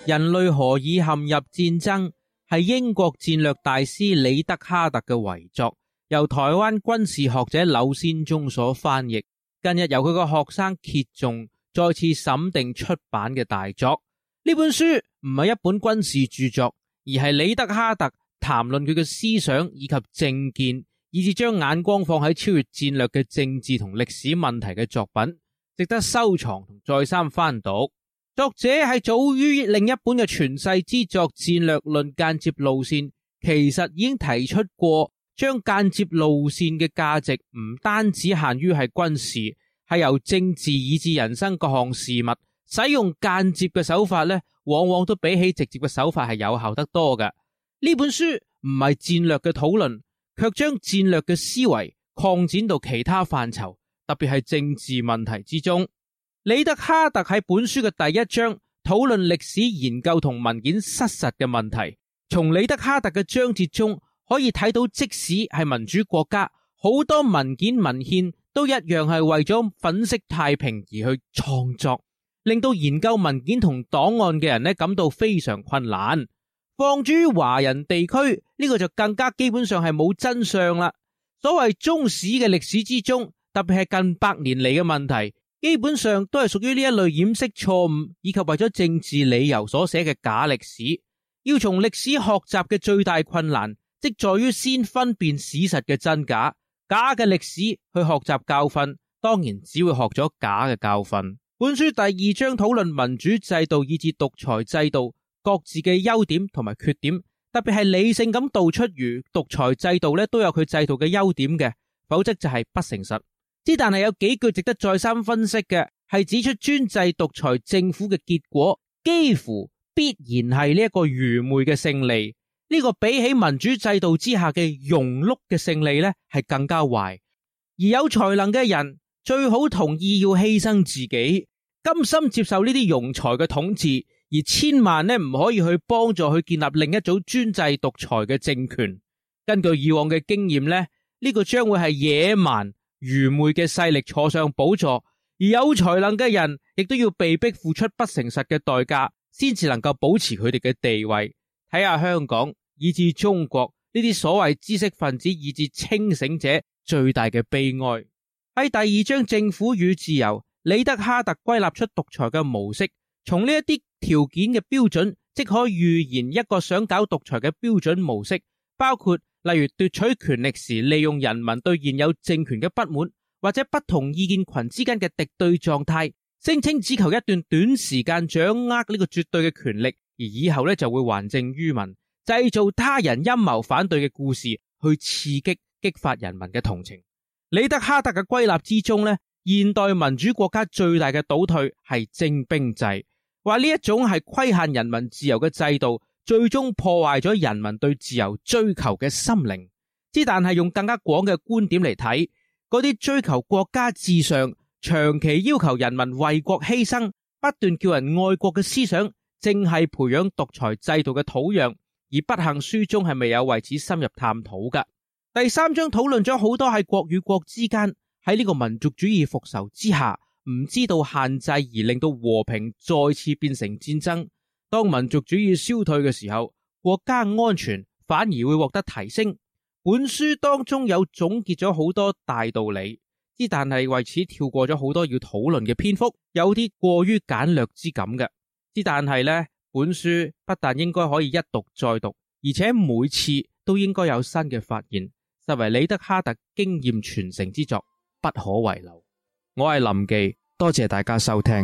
人類何以陷入戰爭，係英國戰略大師李德哈特嘅遺作，由台灣軍事學者柳先中所翻譯，近日由佢個學生揭中再次審定出版嘅大作。呢本書唔係一本軍事著作，而係李德哈特談論佢嘅思想以及政見，以至將眼光放喺超越戰略嘅政治同歷史問題嘅作品，值得收藏同再三翻讀。作者係早於另一本嘅傳世之作《戰略論間接路線》，其實已經提出過將間接路線嘅價值唔單止限於係軍事，係由政治以至人生各項事物，使用間接嘅手法呢，往往都比起直接嘅手法係有效得多嘅。呢本書唔係戰略嘅討論，卻將戰略嘅思維擴展到其他範疇，特別係政治問題之中。李德哈特喺本書嘅第一章討論歷史研究同文件失實嘅問題。從李德哈特嘅章節中可以睇到，即使係民主國家，好多文件文獻都一樣係為咗粉飾太平而去創作，令到研究文件同檔案嘅人呢感到非常困難。放諸於華人地區，呢個就更加基本上係冇真相啦。所謂中史嘅歷史之中，特別係近百年嚟嘅問題，基本上都係屬於呢一類掩飾錯誤以及為咗政治理由所寫嘅假歷史。要從歷史學習嘅最大困難，即在於先分辨史實嘅真假。假嘅歷史去學習教訓，當然只會學咗假嘅教訓。本書第二章討論民主制度以至獨裁制度各自嘅優點同埋缺點，特別係理性咁道出如獨裁制度咧都有佢制度嘅優點嘅，否則就係不誠實。但係有幾句值得再三分析嘅，係指出專制獨裁政府嘅結果幾乎必然係呢一個愚昧嘅勝利。呢個比起民主制度之下嘅庸碌嘅勝利呢，係更加壞。而有才能嘅人最好同意要犧牲自己，甘心接受呢啲庸才嘅統治，而千萬呢唔可以去幫助去建立另一組專制獨裁嘅政權。根據以往嘅經驗呢，呢個將會係野蠻愚昧嘅勢力坐上寶座，而有才能嘅人亦都要被迫付出不誠實嘅代價，先至能夠保持佢哋嘅地位。睇下香港以至中國呢啲所謂知識分子以至清醒者最大嘅悲哀。喺第二章政府與自由，李德哈特歸納出獨裁嘅模式，從呢一啲條件嘅標準，即可預言一個想搞獨裁嘅標準模式，包括例如奪取權力時利用人民對現有政權嘅不滿，或者不同意見群之間嘅敵對狀態，聲稱只求一段短時間掌握呢個絕對嘅權力，而以後就會還政於民，製造他人陰謀反對嘅故事，去刺激激發人民嘅同情。李德哈特嘅歸納之中現代民主國家最大嘅倒退係徵兵制，話呢一種係規限人民自由嘅制度，最終破壞咗人民對自由追求嘅心靈。但係用更加廣嘅觀點嚟睇，嗰啲追求國家至上、長期要求人民為國犧牲、不斷叫人愛國嘅思想，正係培養獨裁制度嘅土壤。而不幸書中係未有為此深入探討㗎。第三章討論咗好多喺國與國之間，喺呢個民族主義復仇之下，唔知道限制而令到和平再次變成戰爭。當民族主義消退嘅時候，國家安全反而會獲得提升。本書當中有總結咗好多大道理，但係為此跳過咗好多要討論嘅篇幅，有啲過於簡略之感嘅。但係本書不但應該可以一讀再讀，而且每次都應該有新嘅發現，實為李德哈特經驗傳承之作，不可遺漏。我係林忌，多謝大家收聽。